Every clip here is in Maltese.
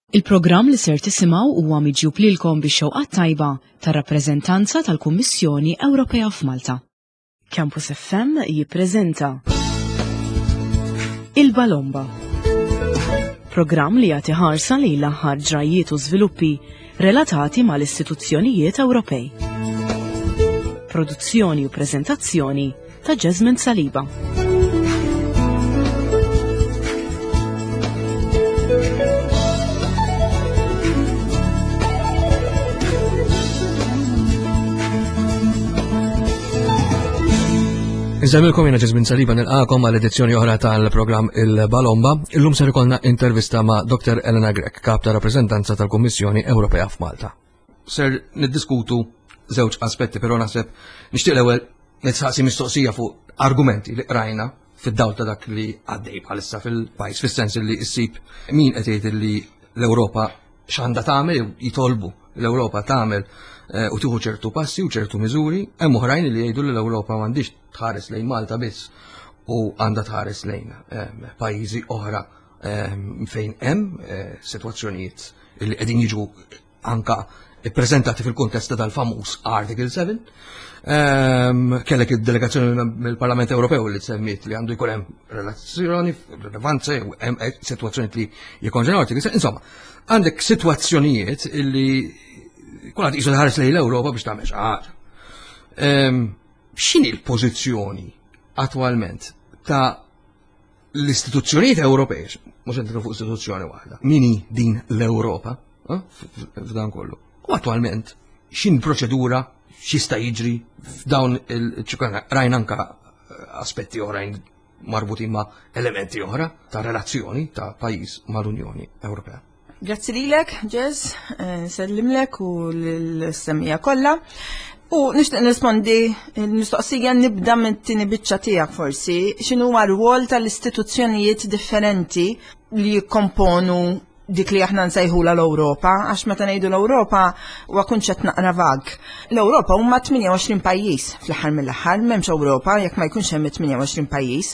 Il-programm li ser tisimgħu huwa miġjub lilkom bix-xewqat tajba tar-rappreżentanza tal-Kummissjoni Ewropea f'Malta. Campus FM jippreżenta Il-Balomba. Programm li jagħti ħarsa lejn l-aħħar ġrajjiet u żviluppi relatati mal-istituzzjonijiet Ewropej. Produzzjoni u preżentazzjoni ta' Jasmine Saliba. Nżemmilkom jena Ġesmin Saliba nilqakom għal edizzjoni oħra tal-programm Il-Balomba. Illum ser ikollna intervista ma' Dr. Elena Grech, kap ta' rappreżentanza tal-Kummissjoni Ewropea f'Malta. Ser niddiskutu żewġ aspetti, però naħseb nixtieq l-ewwel nitsaqsi mistoqsija fuq argumenti li qrajna fid-dawl ta' dak li għaddej bħalissa fil-pajjiż, fis-sens li issib min qed jgħid li l-Ewropa x'għandha tagħmel jitolbu l-Ewropa tagħmel eh, u tieħu ċertu passi u ċertu miżuri, hemm oħrajn li jgħidu li l-Ewropa m'għandix tħares lejn Malta biss u għandha tħares lejn eh, pajjiżi oħra eh, fejn hemm sitwazzjonijiet li qegħdin jiġu anka ippreżentati fil-kuntest ta' dal-famuż Article 7. Ehm, kellek id-delegazzjoni mill-Parlament Ewropew li semmiet li għandu jkun hemm relazzjoni, rilevanza, hemm eh, sitwazzjoni li jikkonġenaw Article 7. Insomma, għandek sitwazzjonijiet li kulħadd qisu ħares lejn l-Ewropa biex tagħmel xi ħaġa. Ehm, x'inhi l-pożizzjoni attwalment ta' l-istituzzjonijiet Ewropej, mhux qed fuq istituzzjoni waħda, min hi din l-Ewropa eh, f'dan kollu. U attwalment x'in proċedura x'jista' jiġri f'dawn il-ċikana rajna anka eh, aspetti oħrajn marbutin ma' elementi oħra ta' relazzjoni ta' pajjiż mal-Unjoni Ewropea. Grazzi lilek, Ġez, eh, nsellimlek u l-semmija kollha. U nixtieq nirrispondi l-mistoqsija nibda minn tieni biċċa tiegħek forsi, x'inhu huwa rwol tal-istituzzjonijiet differenti li jikkomponu dik li aħna nsejħula l-Ewropa, għax meta ngħidu l-Ewropa huwa kunċett naqra vag. L-Ewropa huma 28 pajjiż fl-aħħar mill-aħħar, m'hemmx Ewropa jekk ma jkunx hemm 28 pajjiż.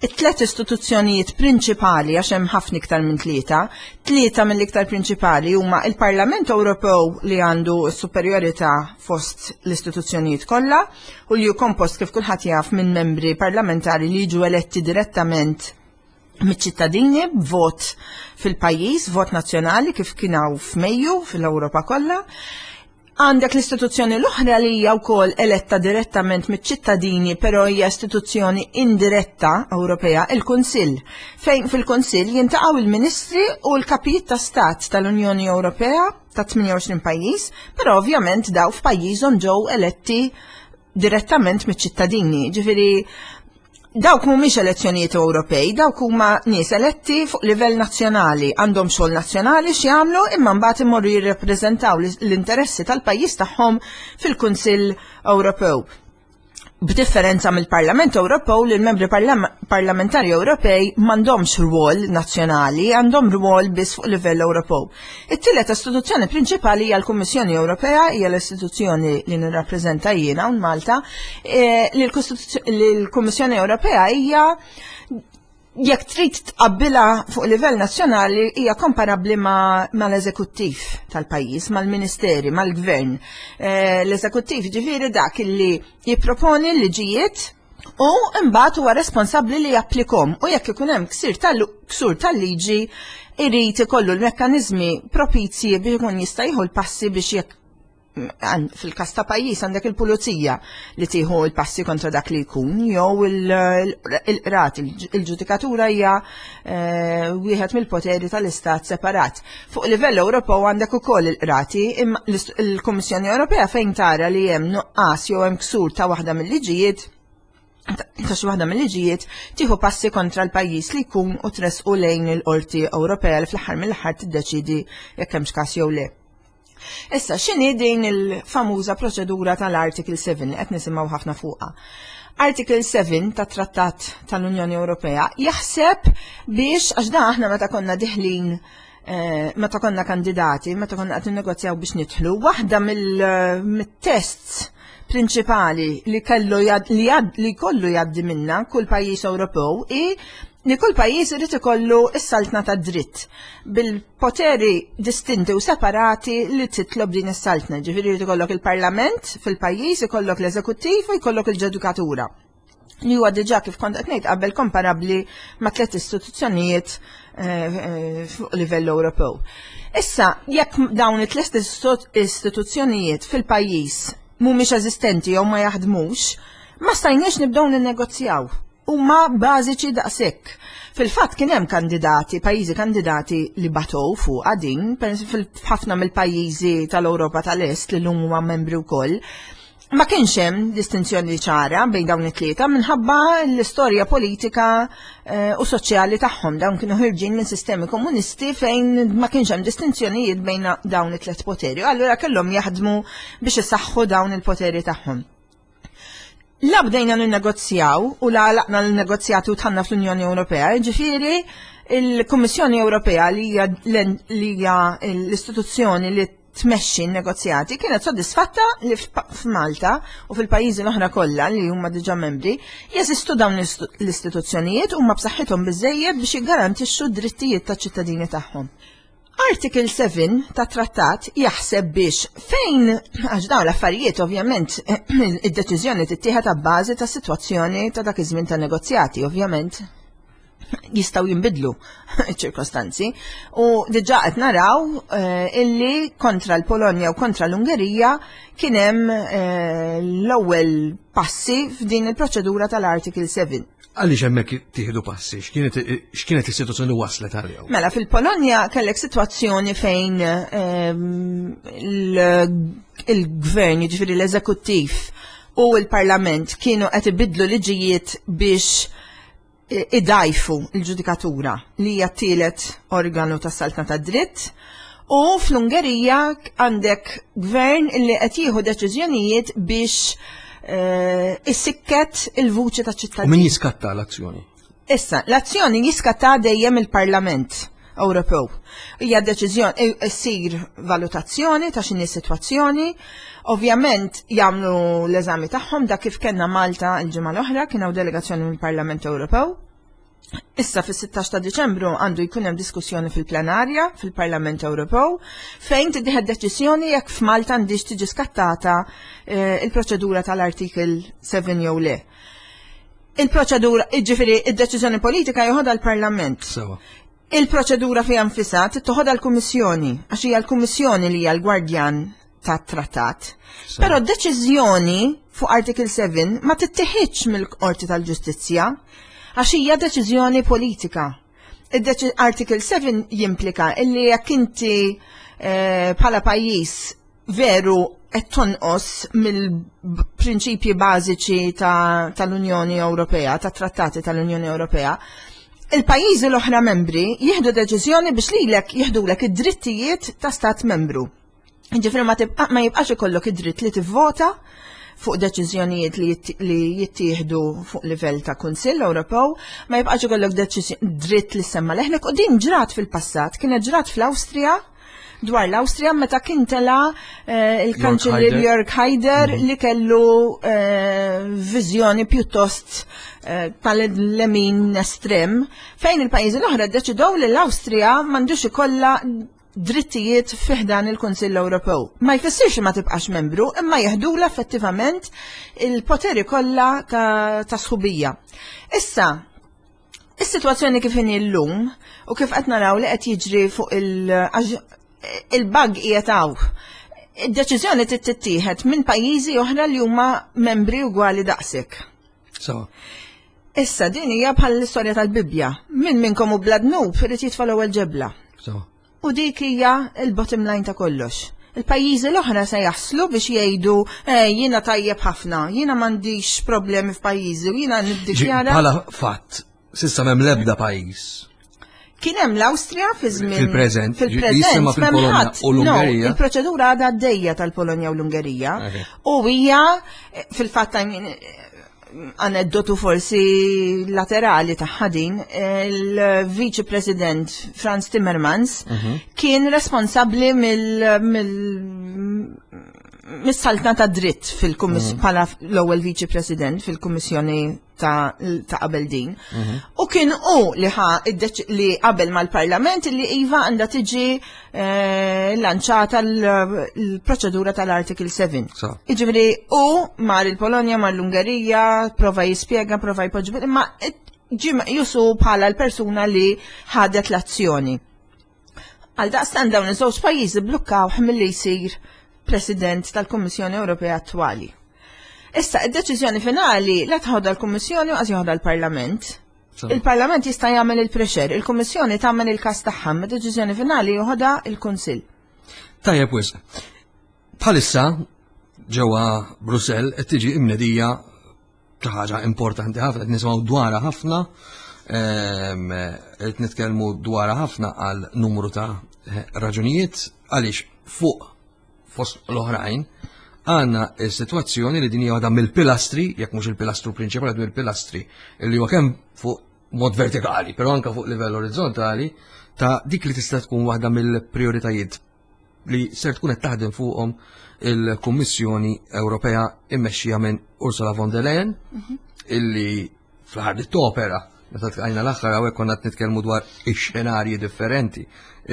It-tlet istituzzjonijiet prinċipali, għax hemm ħafna iktar minn tlieta, tlieta mill-iktar prinċipali huma il-Parlament Ewropew li għandu s-superjorità fost l-istituzzjonijiet kollha u li hu kompost kif kulħadd jaf minn membri parlamentari li jiġu eletti direttament miċ-ċittadini b'vot fil-pajjiż, vot nazzjonali kif kien hawn f'Mejju fil-Ewropa kollha. Għandek l-istituzzjoni l-oħra li hija wkoll eletta direttament miċ-ċittadini però hija istituzzjoni indiretta Ewropea, il-Kunsill, fejn fil-Kunsill jintaqgħu il-Ministri u l-kapijiet ta' Stat tal-Unjoni Ewropea ta' 28 pajjiż, però ovvjament daw f'pajjiżhom ġew eletti direttament miċ-ċittadini. Ġifieri Dawk mhumiex elezzjonijiet Ewropej, dawk huma nies eletti fuq livell nazzjonali, għandhom xogħol nazzjonali x'jagħmlu imma mbagħad imorru jirrepreżentaw l-interessi tal-pajjiż tagħhom fil-Kunsill Ewropew. B'differenza mill-Parlament Ewropew li l-membri parlamentari Ewropej m'għandhomx rwol nazzjonali, għandhom rwol biss fuq livell Ewropew. It-tielet istituzzjoni prinċipali hija l-Kummissjoni Ewropea, hija l-istituzzjoni li nirrappreżenta jiena hawn Malta, eh, li l-Kummissjoni Ewropea hija jekk trid tqabbilha fuq livell nazzjonali hija komparabbli mal-eżekuttiv tal-pajjiż, mal-ministeri, mal-gvern. Eh, l-eżekuttiv ġifieri dak li jipproponi l-liġijiet u mbagħad huwa responsabbli li japplikom u jekk ikun hemm ksir tal-ksur tal-liġi irid ikollu l-mekkaniżmi propizji biex ikun jista' jieħu l-passi biex jekk fil-kas ta' pajjiż għandek il-pulizija li tieħu l-passi kontra dak li jkun jew il-qrat il-ġudikatura hija eh, wieħed mill-poteri tal-istat separat. Fuq livell Ewropew għandek ukoll il-qrati imma l-Kummissjoni Ewropea fejn tara li hemm nuqqas jew hemm ksur ta' waħda mill-liġijiet ta' xi waħda mill-liġijiet tieħu passi kontra l-pajjiż li jkun u tressqu lejn il-Qorti Ewropea li fl-aħħar mill-aħħar tiddeċidi jekk hemmx każ jew le. Issa, x'inhi din il-famuża proċedura tal-Article 7 li qed nisimgħu ħafna fuqha? Article 7 tat-Trattat tal-Unjoni Ewropea jaħseb biex għax dan aħna meta konna diħlin eh, meta konna kandidati, meta konna qed ninnegozjaw biex nidħlu, waħda mill-tests prinċipali li kellu li kollu jgħaddi minna kull pajjiż Ewropew i. Li kull pajjiż irid ikollu s-saltna tad-dritt bil-poteri distinti u separati li titlob din is-saltna. Ġifieri jrid ikollok il-Parlament fil-pajjiż, ikollok l-eżekuttiv u jkollok il-ġudikatura li huwa diġà kif kont qed ngħid qabel komparabbli ma' tliet istituzzjonijiet eh, eh, fuq livell Ewropew. Issa, jekk dawn it-tliet istituzzjonijiet fil-pajjiż mhumiex eżistenti jew ma jaħdmux, ma stajniex nibdew ninnegozjaw. Huma bażiċi daqshekk. Fil-fatt kien hemm kandidati, pajjiżi kandidati li batow fuqha din, f'ħafna mill-pajjiżi tal-Ewropa tal-Est li llum huma membri wkoll, Ma kienx hemm distinzjoni ċara bejn dawn it-tlieta minħabba l-istorja politika eh, u soċjali tagħhom. Dawn kienu ħirġin minn sistemi komunisti fejn ma kienx hemm distinzjonijiet bejn dawn it-tliet poteri. Allura kellhom jaħdmu biex isaħħu dawn il-poteri tagħhom. La bdejna ninnegozjaw u la għalaqna l-negozjati u tħanna fl-Unjoni Ewropea, ġifieri il-Kummissjoni Ewropea li hija l-istituzzjoni li tmexxi n-negozjati kienet sodisfatta li f'Malta u fil-pajjiżi l-oħra kollha li huma diġà membri jeżistu dawn l-istituzzjonijiet huma b'saħħithom biżejjed biex jiggarantixxu d-drittijiet taċ-ċittadini tagħhom. Article 7 ta' trattat jaħseb biex fejn għax dawn l-affarijiet ovvjament id-deċiżjoni tittieħed abbażi ta' sitwazzjoni ta' dak iż-żmien ta' negozjati ovvjament jistaw jimbidlu ċirkostanzi. U diġa qed naraw eh, illi kontra l-Polonja u kontra l-Ungerija kien hemm eh, l-ewwel passi f'din il-proċedura tal-Article 7. Għaliex hemmhekk tieħdu passi? X'kienet is-sitwazzjoni li waslet għalihom? Mela fil-Polonja kellek sitwazzjoni fejn ehm, il-gvern, jiġifieri l-eżekuttiv u l-parlament kienu qed ibidlu liġijiet biex idgħajfu l-ġudikatura li hija t-tielet organu tas-saltna tad-dritt u fl-Ungerija għandek gvern li qed jieħu deċiżjonijiet biex eh, issikket il-vuċi ta' ċittadini. U min jiskatta l-azzjoni? Issa, l-azzjoni jiskatta dejjem il-Parlament Ewropew. Hija deċiżjoni ssir valutazzjoni ta' x'inhi sitwazzjoni. Ovvjament jagħmlu l-eżami tagħhom dak kif kellna Malta l-ġimgħa l-oħra kien hawn delegazzjoni mill-Parlament Ewropew. Issa fis-16 ta' Diċembru għandu jkun hemm diskussjoni fil-plenarja fil-Parlament Ewropew fejn tiddieħed deċiżjoni jekk f'Malta għandix tiġi skattata eh, il-proċedura tal-Artikel 7 jew le. Il-proċedura, jiġifieri id-deċiżjoni politika joħodha l-Parlament. Sewa. Il-proċedura fiha nfisha tittoħodha l-Kummissjoni, għax hija l-Kummissjoni li hija l-gwardjan tat-trattat. Però d-deċiżjoni fuq Article 7 ma tittieħidx mill-Qorti tal-Ġustizzja għax hija deċiżjoni politika. Article 7 jimplika illi jekk inti eh, bħala pajjiż veru qed tonqos mill-prinċipji bażiċi tal-Unjoni Ewropea, tat-trattati tal-Unjoni Ewropea, il-pajjiżi l-oħra membri jieħdu deċiżjoni biex lilek jieħdulek id-drittijiet ta' stat membru. Ġifieri ma tibqa' ma jibqax ikollok id-dritt li tivvota fuq deċiżjonijiet li jittieħdu fuq livell ta' Kunsill Ewropew, ma jibqax ikollok dritt li semma leħnek u din ġrat fil-passat, kienet ġrat fl-Awstrija dwar l-Awstrija meta kien tela eh, il-kanċellier Jörg Haider mhm. li kellu eh, viżjoni pjuttost eh, tal-lemin estrem fejn il-pajjiżi l-oħra ddeċidew li l-Awstrija m'għandux ikollha drittijiet fiħdan il-Kunsill Ewropew. Ma jfissirx ma tibqax membru, imma jeħdula effettivament il-poteri kollha ta' sħubija. Issa, Is-sitwazzjoni kif inhi llum u kif qed naraw li qed jiġri fuq il-bug qiegħed hawn. Id-deċiżjoni trid tittieħed minn pajjiżi oħra li huma membri ugwali daqsek. So. Issa din hija bħal l-istorja tal-Bibbja. Min minnkom hu bla dnub irid jitfa' l-ewwel ġebla. So. U dik hija l-bottom line ta' kollox. Il-pajjiżi l-oħra se jaħslu biex jgħidu eh, jiena tajjeb ħafna, jiena m'għandix problemi f'pajjiżi u jiena niddikjara. Bħala fatt, sissa m'hemm l-ebda pajjiż. Kien hemm l-Awstrija fi żmien fil-preżent, fil-preżent fil-Polonja u l-Ungerija. Il-proċedura għadha għaddejja tal-Polonja u l-Ungerija. U hija eh, fil-fatt aneddotu forsi laterali tagħha din, il-Viċi President Franz Timmermans mhm. kien responsabbli mill mis-saltna ta' dritt fil-kummissjoni bħala l-ewwel viċi president fil-kummissjoni ta' ta' qabel din. U kien hu li ħa li qabel mal-Parlament li iva għandha tiġi eh, lanċata l-proċedura tal-Article 7. Jiġifieri hu mar il-Polonja, mar l-Ungerija, prova jispjega, prova jpoġġi, imma ġie meqjusu bħala l-persuna li ħadet l-azzjoni. Għal daqstant dawn iż-żewġ pajjiżi blukkawh milli jsir President tal-Kummissjoni Ewropea attwali. Issa, id-deċiżjoni finali la tħodha l-Kummissjoni u qas joħodha l-Parlament. Il-Parlament jista' jagħmel il-pressure, il-Kummissjoni tagħmel il-każ tagħha, ma deċiżjoni finali joħodha il-Kunsill. Tajjeb wisq. Bħalissa ġewwa Brussell qed tiġi imnedija xi ħaġa importanti ħafna, qed nisimgħu dwarha ħafna, ehm, qed nitkellmu dwarha ħafna għal numru ta' raġunijiet għaliex fuq fost l-oħrajn għandna s-sitwazzjoni li din hija waħda mill-pilastri, jekk mhux il-pilastru prinċipali, mill-pilastri li huwa kemm fuq mod vertikali, però anke fuq livell orizzontali ta' dik li tista' tkun waħda mill-prioritajiet li ser tkun qed taħdem fuqhom il-Kummissjoni Ewropea immexxija minn Ursula von der Leyen mhm. illi fl-aħħar li topera meta tqajna l-aħħar hawnhekk konna qed nitkellmu dwar ix-xenarji differenti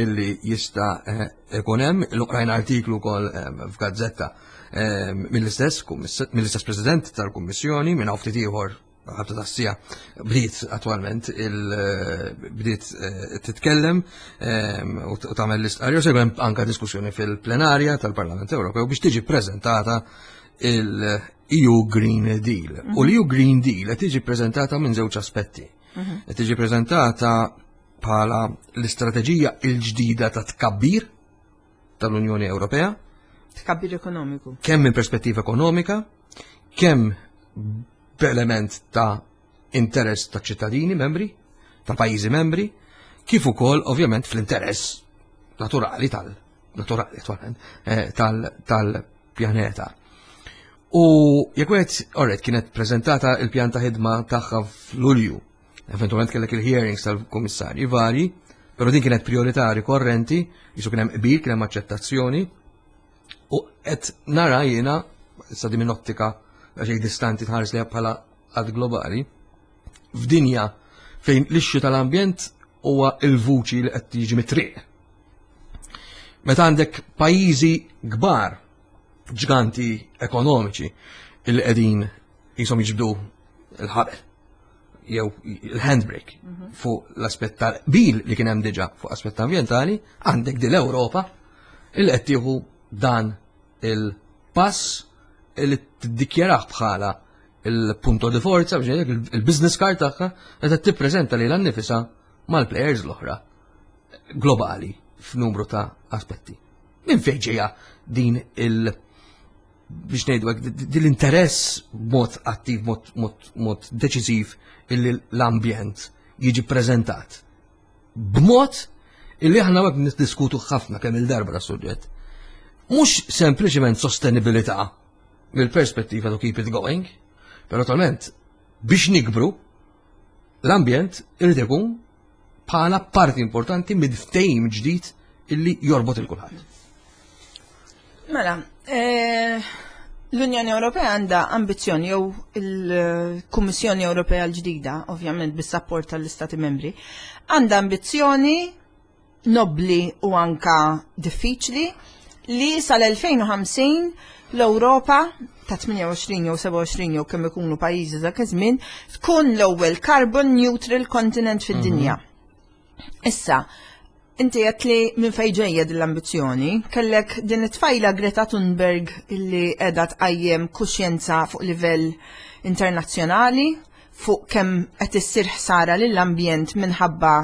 illi jista' eh, ikun hemm, l-oqrajn artiklu wkoll eh, f'gazzetta eh, mill-istess mill-istess President tal-Kummissjoni minn hawn ftit ieħor ħabta tassija bdiet attwalment il bdiet eh, titkellem eh, u tagħmel l-istqarrija u hemm anka diskussjoni fil-plenarja tal-Parlament Ewropew biex tiġi preżentata il-EU Green Deal. U mhm. l-EU Green Deal qed tiġi preżentata minn żewġ aspetti. Mhm. Qed tiġi preżentata bħala l-istrateġija l-ġdida ta' tkabbir tal-Unjoni Ewropea. Tkabbir ekonomiku. Kemm minn perspettiva ekonomika, kemm b'element ta' interess ta' ċittadini membri, ta' pajjiżi membri, kif ukoll ovvjament fl-interess naturali tal naturali attualment eh, tal-pjaneta. U jekk wieħed orret kienet preżentata il-pjan ta' ħidma tagħha f'Lulju, eventualment kellek il-hearings tal-kummissarji vari, però din kienet priorità rikorrenti, jisu kien hemm qbil, kien hemm aċċettazzjoni, U qed nara jiena, issa din minn ottika xejn distanti tħares li bħala għad globali, f'dinja fejn l-ixxu tal-ambjent huwa il-vuċi li qed tiġi mit-triq. Meta għandek pajjiżi kbar, ġganti ekonomiċi, illi qegħdin jisom jiġbdu l-ħabel jew il-handbrake mhm. fuq l-aspett tal-qbil li kien hemm diġà fuq aspett ambjentali, għandek din l-Ewropa il qed tieħu dan il-pass li tiddikjarah bħala il-punto di forza, biex il-business card tagħha qed tippreżenta lilha nnifisha mal-players l-oħra globali f'numru ta' aspetti. Minn fejn ġejja din il- biex ngħidu hekk din l-interess b'mod attiv, mod deċiżiv illi l-ambjent jiġi preżentat b'mod illi aħna għek niddiskutu ħafna kemm il-darba ta' suġġett. Mhux sempliċement sostenibilità mill-perspettiva to keep it going, però naturalment biex nikbru l-ambjent irid ikun bħala parti importanti mid-ftehim ġdid illi jorbot il kulħadd. Mela, eh, l-Unjoni Ewropea għandha ambizzjoni jew il-Kummissjoni Ewropea l-ġdida, ovvjament bis-sapport tal-Istati Membri, għandha ambizzjoni nobbli u anka diffiċli li sal-2050 l-Ewropa ta' 28 jew 27 jew kemm ikunu pajjiżi dak iż-żmien tkun l-ewwel carbon neutral continent fid-dinja. Mm -hmm. Issa, inti qed li minn fejn ġejja din l-ambizzjoni, kellek din it-tfajla Greta Thunberg illi qiegħda tqajjem kuxjenza fuq livell internazzjonali fuq kemm qed issir ħsara lill-ambjent minħabba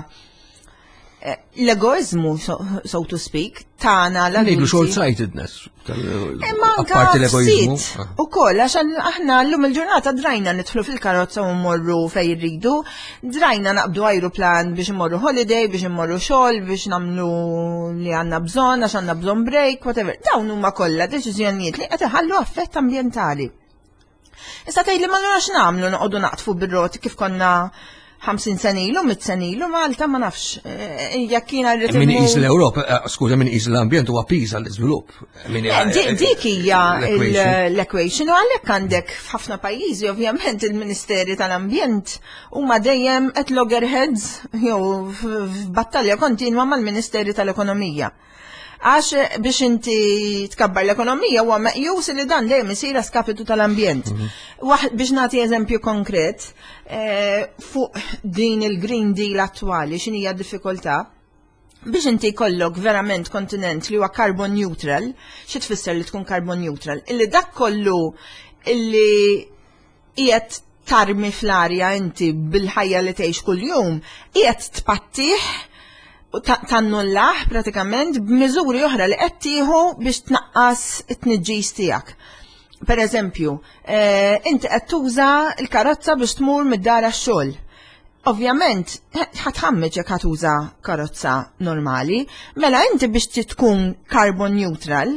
eh, l-egoizmu, so to speak, tagħna l Ngħidu short-sightedness. Imma anka l-egoizmu. Ah. U koll, għax aħna llum il-ġurnata drajna nidħlu fil-karozza u mmorru fej irridu, drajna naqbdu ajruplan biex immorru holiday, biex immorru xogħol, biex nagħmlu li għandna bżonn, għax għandna bżonn break, whatever. Dawn huma kollha deċiżjonijiet li qed iħallu affett ambjentali. Issa tgħid li ma narax nagħmlu noqogħdu naqtfu bir-roti kif konna 50 sena ilu, 100 sena ilu, Malta ma nafx. Eh, jekk jiena rrid Min iqis l-Ewropa, eh, skuża min iqis l-ambjent huwa piż għall-iżvilupp. Eh, dik hija l-equation u għalhekk għandek f'ħafna pajjiżi ovvjament il-Ministeri tal-Ambjent huma dejjem at loggerheads jew f'battalja kontinwa mal-Ministeri tal-Ekonomija. Għax eh, biex inti tkabbar l-ekonomija huwa meqjus li dan dejjem isir skapitu tal-ambjent. Mhm. Biex nagħti eżempju konkret, eh, fuq din il-Green Deal attwali x'inhija d-diffikultà? Biex inti jkollok verament kontinent li huwa carbon neutral, xi tfisser li tkun carbon neutral? Illi dak kollu illi qiegħed tarmi fl-arja inti bil-ħajja li tgħix kuljum, qiegħed tpattih u tannullah pratikament b'miżuri oħra li qed tieħu biex tnaqqas it-tniġġis tiegħek. Per eżempju, eh, inti qed tuża l-karozza biex tmur mid-dar għax-xogħol. Ovvjament, ħatħammeġ jekk ħatuża karozza normali, mela inti biex tkun carbon neutral,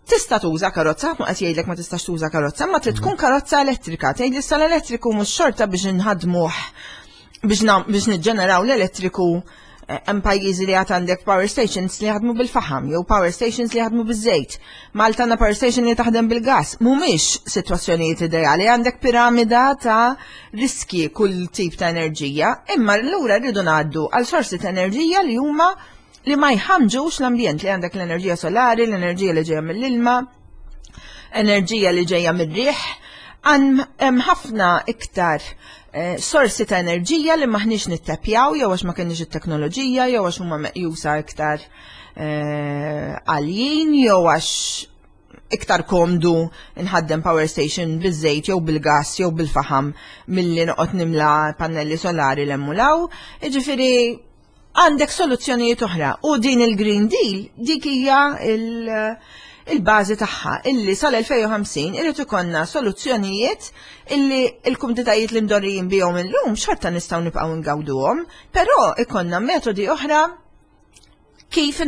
Tista' tuża karozza, ħadd ma qed jgħidlek ma tistax tuża karozza, ma trid tkun karozza elettrika. Tgħid li l-elettriku mhux xorta biex inħadmuh biex niġġeneraw l-elettriku eh, hemm pajjiżi li għad għandek power stations li jaħdmu bil-faħam jew power stations li jaħdmu biż-żejt. Malta għandna power station li taħdem bil-gas. Mhumiex sitwazzjonijiet ideali, għandek piramida ta' riski kull tip ta' enerġija, imma allura rridu ngħaddu għal sorsi ta' enerġija li huma li ma jħamġux l-ambjent li għandek l-enerġija solari, l-enerġija li ġejja mill-ilma, enerġija li ġejja mir-riħ, hemm ħafna iktar eh, sorsi ta' enerġija li maħniex nittepjaw jew għax ma kenniex it-teknoloġija jew għax huma meqjusa iktar eh, għaljin jew għax iktar komdu nħaddem power station biż-żejt jew bil-gas jew bil-faħam milli noqgħod nimla pannelli solari l-emmulaw. Jiġifieri għandek soluzzjonijiet oħra u din il-Green Deal dik hija il-bażi tagħha illi sal-2050 irid ikollna soluzzjonijiet illi l-kumditajiet li mdorrijin bihom illum xorta nistgħu nibqgħu ngawduhom, però ikollna metodi oħra kif,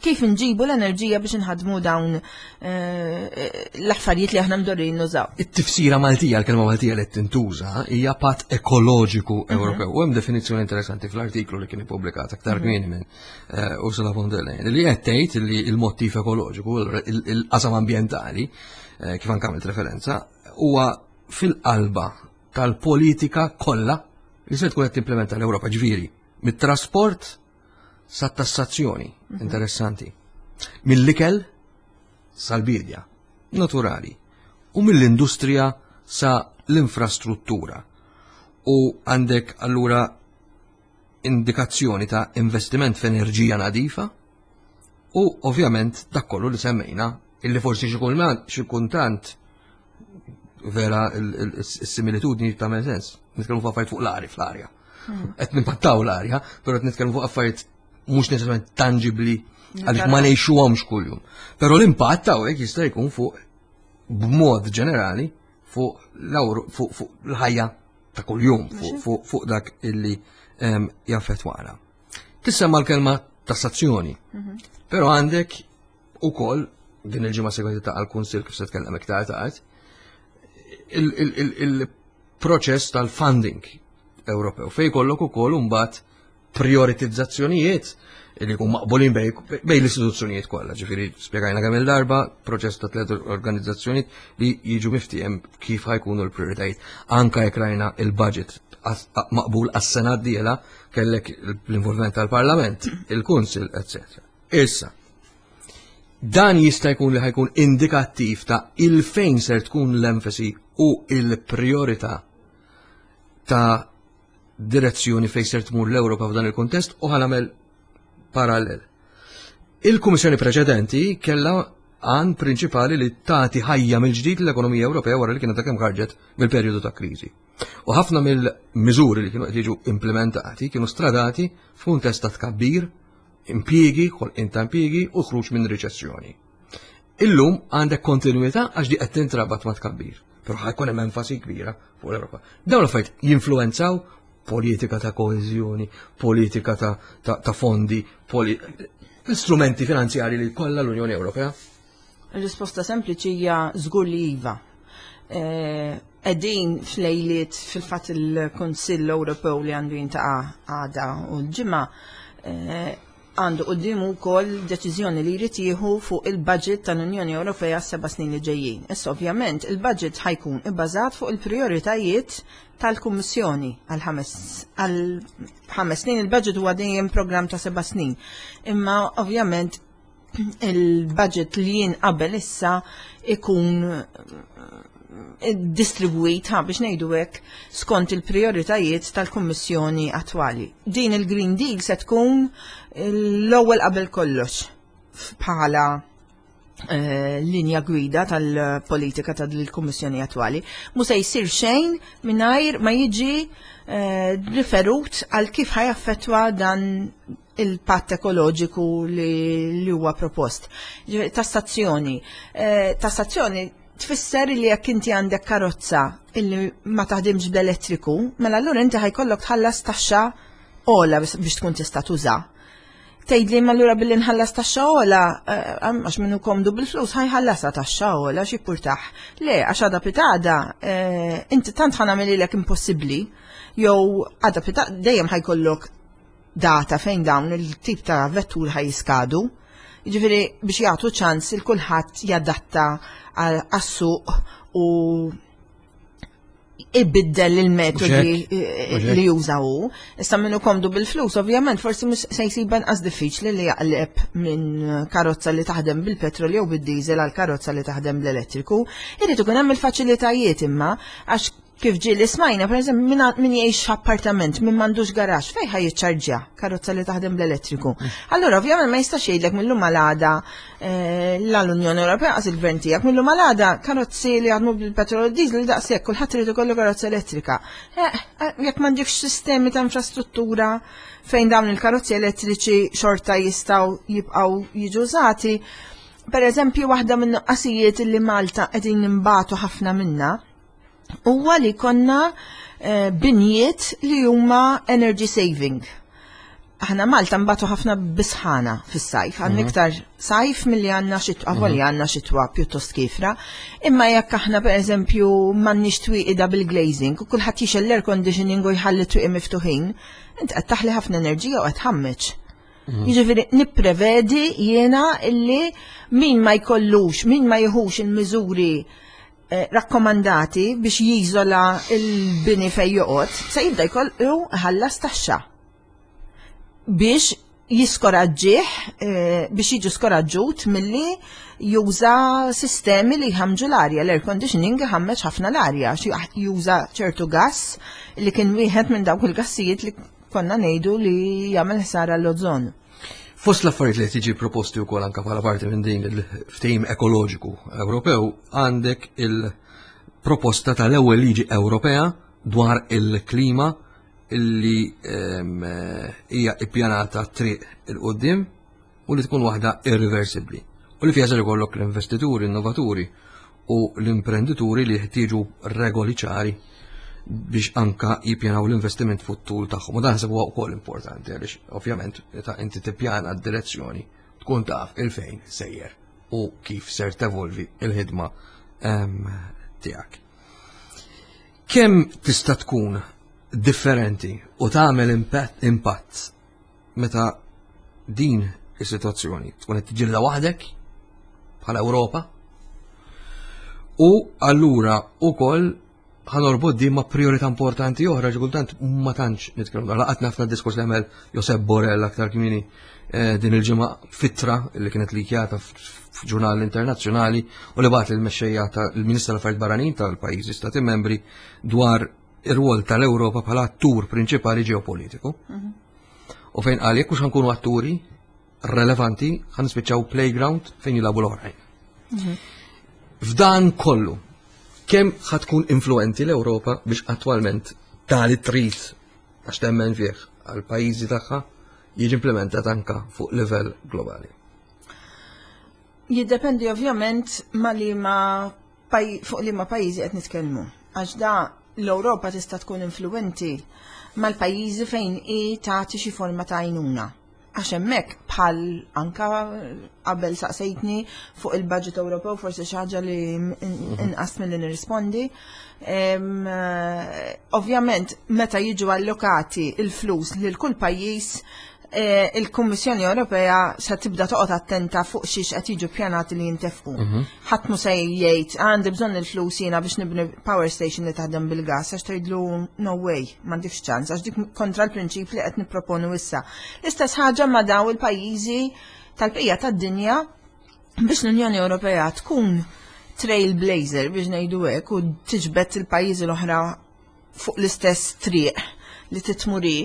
kif nġibu l-enerġija biex nħadmu dawn eh, l-affarijiet li aħna mdorrin nużaw. It-tifsira Maltija, l-kelma Maltija li tintuża hija patt ekoloġiku mhm. Ewropew. U hemm definizzjoni interessanti fl-artiklu li kien ippubblikat aktar mhm. kmieni minn eh, Ursula von der Leyen li qed tgħid li l-mottiv ekoloġiku, il-qasam ambjentali, eh, kif anke għamilt referenza, huwa fil-qalba tal-politika kollha li se tkun qed timplementa l-Ewropa ġifieri mit-trasport sat-tassazzjoni, mhm. interessanti. Mill-ikel sal-bidja, naturali, u mill-industrija sa l-infrastruttura. U għandek allura indikazzjoni ta' investiment f'enerġija nadifa u ovvjament dak kollu li semmejna illi forsi xi kultant vera il-similitudni ta' sens. Nitkellmu fuq affarijiet fuq l-arja fl-arja. Hmm. Qed nimpattaw l-arja, però qed nitkellmu fuq affarijiet mhux neċessarjament tangibbli għaliex ma ngħixuhomx kuljum. Però l-impatt hawnhekk jista' jkun fuq b'mod ġenerali fuq fuq l-ħajja ta' kuljum fuq dak illi ehm, jaffettwana. Tissemma l-kelma tassazzjoni, mhm. però għandek ukoll din il-ġimgħa segwenti ta' għal-Kunsill kif se tkellem iktar tard, il-proċess tal-funding Ewropew fej kollok ukoll imbagħad prioritizzazzjonijiet li jkun maqbulin bej l-istituzzjonijiet kollha. Ġifieri spjegajna kemm il-darba proċess ta' tliet organizzazzjonijiet li jiġu miftiehem kif ħajkunu l-prioritajiet. Anka jekk rajna il-budget maqbul għas-sena d-dieħla kellek l-involviment tal-Parlament, il-Kunsil, etc. Issa, dan jista' jkun li ħajkun indikattiv ta' il-fejn ser tkun l-enfasi u il-priorità ta' direzzjoni fejn ser tmur l-Ewropa f'dan il-kuntest u ħanamel parallel. Il-Kummissjoni preċedenti kellha għan prinċipali li tagħti ħajja mill-ġdid l-ekonomija Ewropea wara li kienet kemm ħarġet mill-perjodu ta' kriżi. U ħafna mill-miżuri li kienu qed jiġu implementati kienu stradati f'kuntest ta' tkabbir, impjiegi, ħolqien ta' impjiegi u ħruġ minn riċessjoni. Illum għandek kontinuità għax di qed tintrabat ma' tkabbir, però ħajkun hemm enfasi kbira fuq l-Ewropa. Dawn l-affarijiet jinfluwenzaw politika ta' koeżjoni, politika ta', ta, ta fondi, poli strumenti finanzjari li kollha l-Unjoni Ewropea? Ir-risposta sempliċi hija żgur li iva. Qegħdin f'lejliet fil-fatt il-Kunsill Ewropew li għandu jintaqa' għada u l-ġimgħa eh, għandu quddiemu wkoll deċiżjoni li jrid jieħu fuq il-budget tal-Unjoni Ewropea seba' snin li ġejjin. Issa ovvjament il-budget ħajkun ibbażat fuq il-prijoritajiet tal-Kummissjoni għal ħames snin. Il-budget huwa dejjem programm ta' seba' snin. Imma ovvjament il-budget li jien qabel issa ikun eh, distribwit ha biex ngħidu hekk skont il-prioritajiet tal-Kummissjoni attwali. Din il-Green Deal se tkun l-ewwel qabel kollox bħala eh, linja gwida tal-politika tal-Kummissjoni attwali. Mu se jsir xejn mingħajr ma jiġi eh, riferut għal kif ħajaffettwa dan il-patt ekoloġiku li huwa propost. Tassazzjoni. Eh, tassazzjoni tfisser li jekk inti għandek karozza illi ma taħdimx bl-elettriku, mela allura inti ħajkollok tħallas taxxa ola biex tkun tista' tuża. Tgħidli ma allura billi nħallas taxxa ola, eh, għax minnu komdu bil-flus ħajħallasha taxxa ola xi purtaħ. Le, għax għada pitada, eh, inti tant ħanamililek impossibbli, jew għada pitada dejjem ħajkollok data fejn dawn il-tip ta' vettur ħaj jiskadu. Jiġifieri biex jagħtu ċans il kulħadd jadatta għas-suq u ibiddel il-metodi li juża hu. Issa minnu komdu bil-flus, ovvjament, forsi mhux se jsib anqas diffiċli li jaqleb minn karozza li taħdem bil-petrol jew bid-diesel għal karozza li taħdem bl-elettriku. Irid ikun hemm il-faċilitajiet imma għax Kif ġieli smajna, per eżempju, min jgħix f'appartament, min m'għandux garax, fejn ħaj jiċċarġja karozza li taħdem bl-elettriku. Allura, ovvjament ma jistax jgħidlek mill-lum għal-għada eh, l-Unjoni Ewropea qas il-gvern tiegħek mill-lum għal-għada karozzi li jaħdmu bil-petrol u diesel daqshekk kulħadd irid ikollu karozza elettrika. Eh, eh, jekk m'għandekx sistemi ta' infrastruttura fejn dawn il-karozzi elettriċi xorta jistgħu jibqgħu jiġu użati. Per eżempju, waħda minn nuqqasijiet li Malta qegħdin nimbatu ħafna minna huwa li konna eh, binjiet li huma energy saving. Aħna Malta mbatu ħafna bisħana fis-sajf, għandna mhm. iktar sajf milli għandna xitwa, mm -hmm. għandna xitwa pjuttost kifra. Imma jekk aħna pereżempju m'għandniex twieqi double glazing u kulħadd jixel l-air conditioning u jħalli twieqi miftuħin, int qed taħli ħafna enerġija u qed ħammeġ. Mhm. Jiġifieri nipprevedi jiena illi min ma jkollux, min ma jieħux il-miżuri Eh, rakkomandati biex jiżola l-bini fej joqgħod, se jibda jkollu ħallas taxxa biex jiskoraġġih eh, biex jiġu skoraġġut milli juża sistemi li jħamġu l-arja, l-air conditioning jħammeġ ħafna l-arja, juża ċertu gass li kien wieħed minn dawk il-gassijiet li konna ngħidu li jagħmel ħsara l-ozon. Fost l-affarijiet li tiġi proposti wkoll anke bħala parti minn din il-ftehim ekoloġiku Ewropew għandek il-proposta tal-ewwel liġi Ewropea dwar il-klima illi ehm, hija ippjanata triq il-qoddim u li tkun waħda irreversibbli u li fiha ser ikollok l-investituri, innovaturi u l-imprendituri li jeħtieġu regoli ċari biex anka jippjanaw l-investiment fuq-tul tagħhom. U dan ħseb huwa wkoll importanti għaliex ovvjament meta inti tippjana d-direzzjoni tkun taf il-fejn sejjer u kif ser tevolvi il-ħidma ehm, tiegħek. Kemm tista' tkun differenti u tagħmel impatt meta din is-sitwazzjoni tkun qed tiġilha waħdek bħala Ewropa u allura wkoll ħanorbod din ma' priorità importanti oħra xi kultant ma tantx nitkellmu dwar laqatna ħafna diskors li għamel Josep Borrell aktar kmieni eh, din il-ġimgħa fitra li kienet likjata f'ġurnal internazzjonali u li bagħat il-mexxejja tal-Ministru tal-Affarijiet Barranin tal-pajjiżi stati membri dwar ir-rwol tal-Ewropa bħala attur prinċipali ġeopolitiku. Mhm. U fejn qal jekk mhux ħankunu atturi relevanti ħan nispiċċaw playground fejn jilagħbu l-oħrajn. Mhm. F'dan kollu, kemm ħatkun influenti l-Ewropa biex attwalment tali trid għax temmen fih għal pajjiżi tagħha jiġi implementat anka fuq livell globali. Jiddependi ovvjament ma li ma fuq liema pajjiżi qed nitkellmu. Għax da l-Ewropa tista' tkun influwenti mal-pajjiżi fejn hi tagħti xi forma ta' għajnuna. Għax hemmhekk bħal anka qabel saqsejtni fuq il-budget Ewropew forsi xi ħaġa li inqas milli nirrispondi. Eh, ovvjament meta jiġu allokati il-flus lil kull pajjiż eh, il-Kummissjoni Ewropea se tibda toqgħod attenta fuq xiex qed jiġu pjanati li jintefqu. Mhm. Ħadd mu se jgħid għandi bżonn il-flus jiena biex nibni power station li taħdem bil-gas għax tgħidlu no way m'għandix ċans għax dik kontra l-prinċip li qed nipproponu issa. L-istess ħaġa ma' daw il-pajjiżi tal-bqija tad-dinja biex l-Unjoni Ewropea tkun trailblazer biex ngħidu hekk u tiġbed il-pajjiżi l-oħra fuq l-istess triq li titmuri.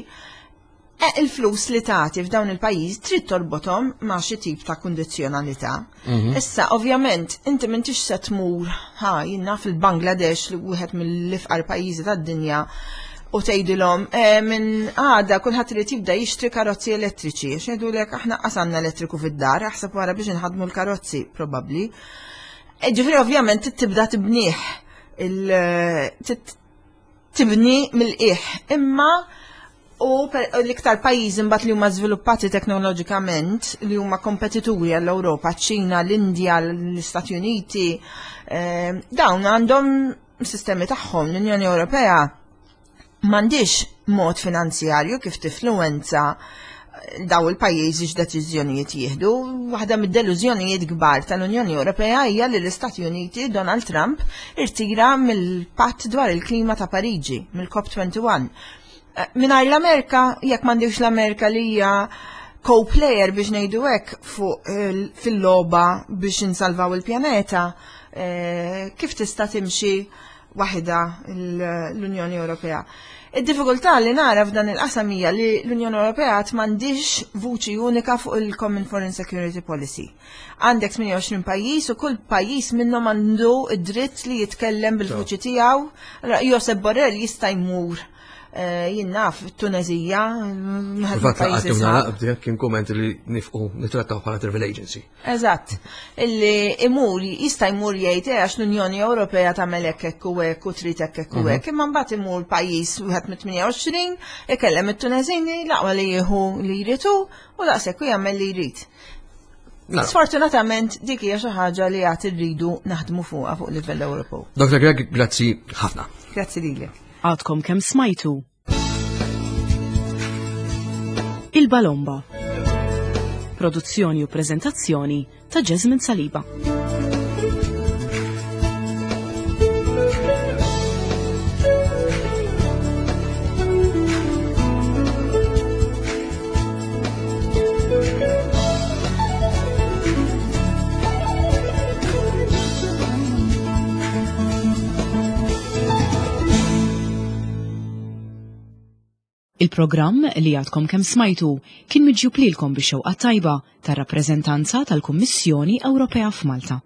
E il-flus li tagħti f'dawn il-pajjiż trid torbothom ma' xi tip ta' kundizzjonalità. Mhm. Issa, ovvjament, inti m'intix se tmur ħa jinnna fil-Bangladesh li wieħed mill-ifqar pajjiżi tad-dinja u tgħidilhom eh, minn għada kulħadd irid jibda jixtri karozzi elettriċi għax jgħidulek aħna qasanna elettriku fid-dar, aħseb wara biex inħadmu l-karozzi probabbli. E, ġifieri ovvjament tibda tibnieh tibni mill-qiegħ, imma u l-iktar pajjiżi mbagħad li huma żviluppati teknoloġikament li huma kompetituri għall-Ewropa, ċ-Ċina, l-Indja, l-Istati Uniti, eh, dawn għandhom sistemi tagħhom. L-Unjoni Ewropea m'għandix mod finanzjarju kif tifluwenza daw il-pajjiżi x'deċiżjonijiet jieħdu. Waħda mid-delużjonijiet kbar tal-Unjoni Ewropea hija li l-Istati Uniti Donald Trump irtira mill-Patt dwar il-Klima ta' Pariġi, mill-COP21. Eh, mingħajr l-Amerika, jekk m'għandix l-Amerika li hija co-player biex ngħidu hekk fuq eh, fil-logħba biex insalvaw il-pjaneta, eh, kif tista' timxi waħedha l-Unjoni Ewropea. Id-diffikultà li nara f'dan il-qasam hija li l-Unjoni Ewropea għad m'għandix vuċi unika fuq il-Common Foreign Security Policy. Għandek 28 pajjiż u kull pajjiż minnhom għandu id-dritt li jitkellem bil-vuċi tiegħu. Josep Borrell jista' jmur Eh, jien naf, Tunezija. Fatt laqgħat naqbdi kien kumment li nifqu nitrattaw bħala travel agency. Eżatt, illi imur jista' jmur jgħid eh, għax l-Unjoni Ewropea tagħmel hekk hekk u hekk u trid hekk hekk u mhm. hekk, imma mbagħad imur pajjiż wieħed mit-28 ikellem it-Tuneżini l-aqwa li jieħu li jridu u daqshekk u jagħmel li jrid. Sfortunatament dik hija xi ħaġa li għad irridu naħdmu fuqha fuq livell Ewropew. Dr. Greg, grazzi ħafna. Grazzi lilek. Għadkom kemm smajtu. Il-Balomba. Produzzjoni u prezentazzjoni ta' Jasmine Saliba. Il-programm li għadkom kemm smajtu kien miġjub lilkom bix-xewqa tajba tar-rappreżentanza tal-Kummissjoni Ewropea f'Malta.